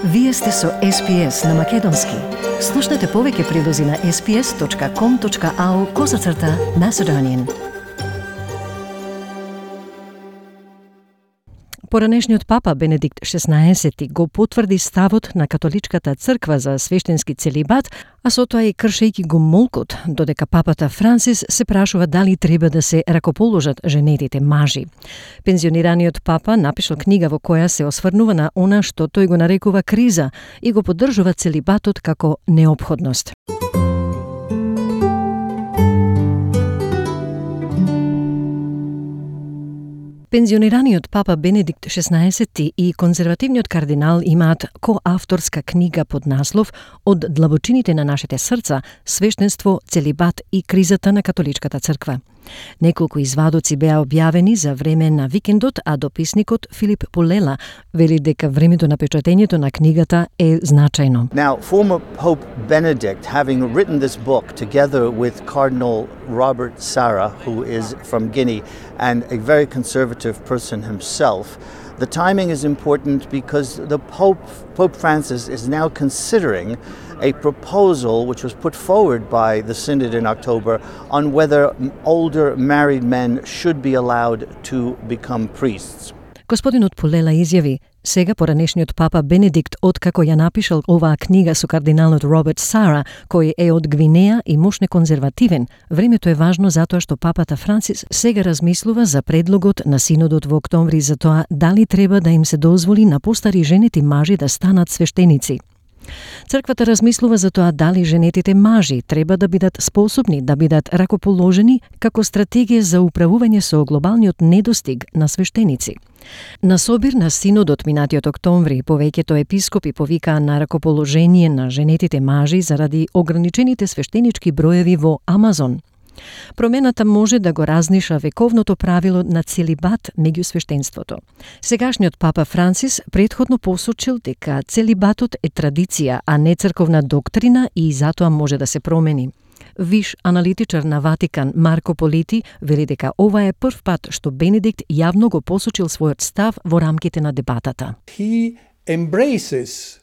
Вие сте со SPS на Македонски. Слушнете повеќе прилози на sps.com.au/Macedonian. Поранешниот папа Бенедикт XVI го потврди ставот на католичката црква за свештенски целибат, а со тоа и кршејќи го молкот, додека папата Франсис се прашува дали треба да се ракоположат женетите мажи. Пензионираниот папа напишал книга во која се осврнува на она што тој го нарекува криза и го поддржува целибатот како неопходност. Пензионираниот папа Бенедикт XVI и конзервативниот кардинал имаат коавторска книга под наслов "Од длабочините на нашите срца, свештенство, целибат и кризата на католичката црква". Неколку извадоци беа објавени за време на викендот, а дописникот Филип Полела вели дека времето на печатењето на книгата е значајно. Now, former Pope Benedict, having written this book together with Cardinal Robert Sarah, who is from Guinea and a very conservative person himself, the timing is important because Pope Francis is now considering a proposal which was put forward by the Synod in October on whether older married men should be allowed to become priests. Господинот Полела изјави: "Сега поранешниот папа Бенедикт, откако ја напишал оваа книга со кардиналот Роберт Сара, кој е од Гвинеја и мошне конзервативен, времето е важно затоа што папата Франсис сега размислува за предлогот на синодот во октомври за тоа дали треба да им се дозволи на постари женети мажи да станат свештеници. Црквата размислува за тоа дали женетите мажи треба да бидат способни да бидат ракоположени како стратегија за управување со глобалниот недостиг на свештеници". На собир на синодот минатиот октомври, повеќето епископи повикаа на ракоположение на женетите мажи заради ограничените свештенички броеви во Амазон. Промената може да го разниша вековното правило на целибат меѓу свештенството. Сегашниот папа Франсис претходно посочил дека целибатот е традиција, а не црковна доктрина и затоа може да се промени. Виш аналитичар на Ватикан Марко Полити вели дека ова е прв пат што Бенедикт јавно го посочил својот став во рамките на дебатата. He embraces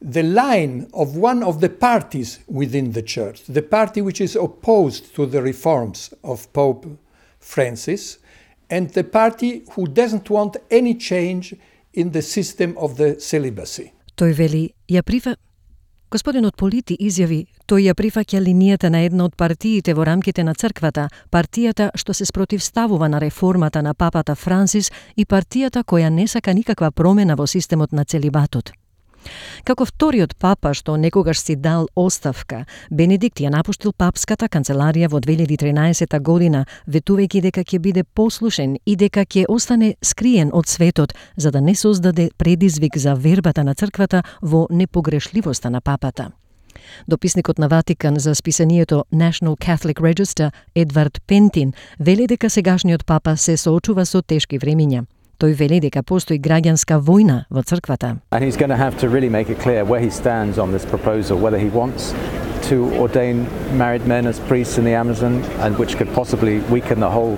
the line of one of the parties within the church, the party which is opposed to the reforms of Pope Francis, and the party who doesn't want any change in the system of the celibacy. Тој вели, Господинот Полити изјави, тој ја прифаќа линијата на една од партиите во рамките на црквата, партијата што се спротивставува на реформата на папата Франсис и партијата која не сака никаква промена во системот на целибатот. Како вториот папа што некогаш си дал оставка, Бенедикт ја напуштил папската канцеларија во 2013 година, ветувајќи дека ќе биде послушен и дека ќе остане скриен од светот, за да не создаде предизвик за вербата на црквата во непогрешливоста на папата. Дописникот на Ватикан за списанието National Catholic Register Едвард Пентин вели дека сегашниот папа се соочува со тешки времиња. Тој вели дека постои граѓанска војна во црквата. And he's going to have to really make it clear where he stands on this proposal, whether he wants to ordain married men as priests in the Amazon, and which could possibly weaken the whole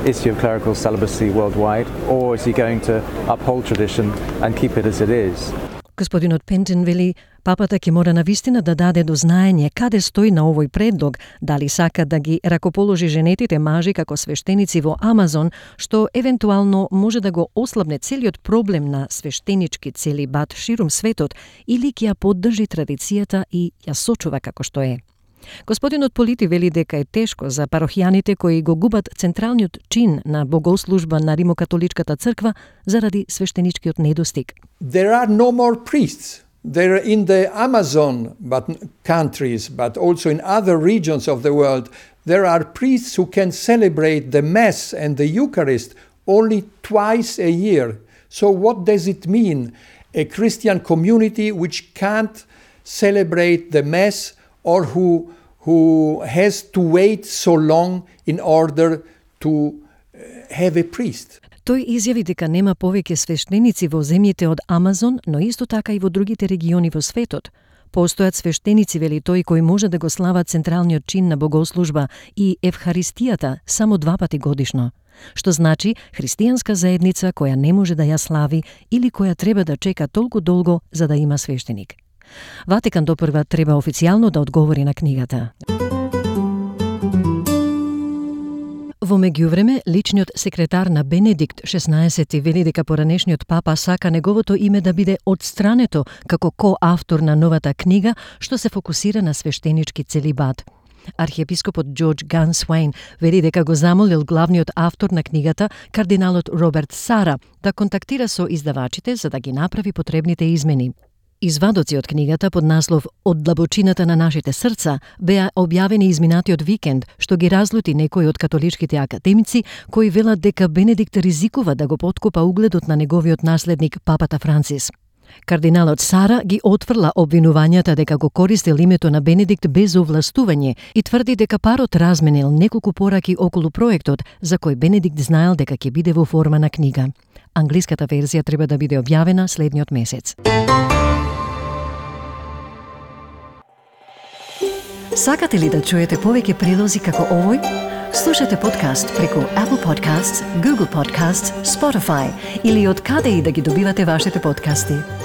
issue of clerical celibacy worldwide, or is he going to uphold tradition and keep it as it is? Господинот Пентин вели, папата ќе мора навистина да даде до знаење каде стои на овој предлог, дали сака да ги ракоположи женетите мажи како свештеници во Амазон, што евентуално може да го ослабне целиот проблем на свештенички целибат ширум светот, или ќе ја поддржи традицијата и ја сочува како што е. Господинот Полити вели дека е тешко за парохијаните кои го губат централниот чин на богослужба на римокатоличката црква заради свештеничкиот недостиг. There are no more priests. They're in the Amazon countries, but also in other regions of the world. There are priests who can celebrate the Mass and the Eucharist only twice a year. So what does it mean? A Christian community which can't celebrate the Mass or who has to wait so long in order to have a priest. Тој изјави дека нема повеќе свештеници во земјите од Амазон, но исто така и во другите региони во светот. Постојат свештеници, вели тој, кои може да го слават централниот чин на богослужба и Евхаристијата само 2 пати годишно, што значи христијанска заедница која не може да ја слави или која треба да чека толку долго за да има свештеник. Ватикан допрва треба официјално да одговори на книгата. Во меѓувреме, личниот секретар на Бенедикт XVI вели дека поранешниот папа сака неговото име да биде отстрането како коавтор на новата книга што се фокусира на свештенички целибат. Архиепископот Джордж Гансуейн вели дека го замолил главниот автор на книгата, кардиналот Роберт Сара, да контактира со издавачите за да ги направи потребните измени. Извадоци од книгата под наслов «Од длабочината на нашите срца» беа објавени изминатиот викенд, што ги разлути некои од католичките академици кои велат дека Бенедикт ризикува да го поткопа угледот на неговиот наследник папата Францис. Кардиналот Сара ги отфрла обвинувањата дека го користил името на Бенедикт без овластување и тврди дека парот разменил неколку пораки околу проектот за кој Бенедикт знаел дека ќе биде во форма на книга. Англиската верзија треба да биде објавена следниот месец. Сакате ли да чуете повеќе прилози како овој? Слушате подкаст преку Apple Podcasts, Google Podcasts, Spotify или од каде и да ги добивате вашите подкасти.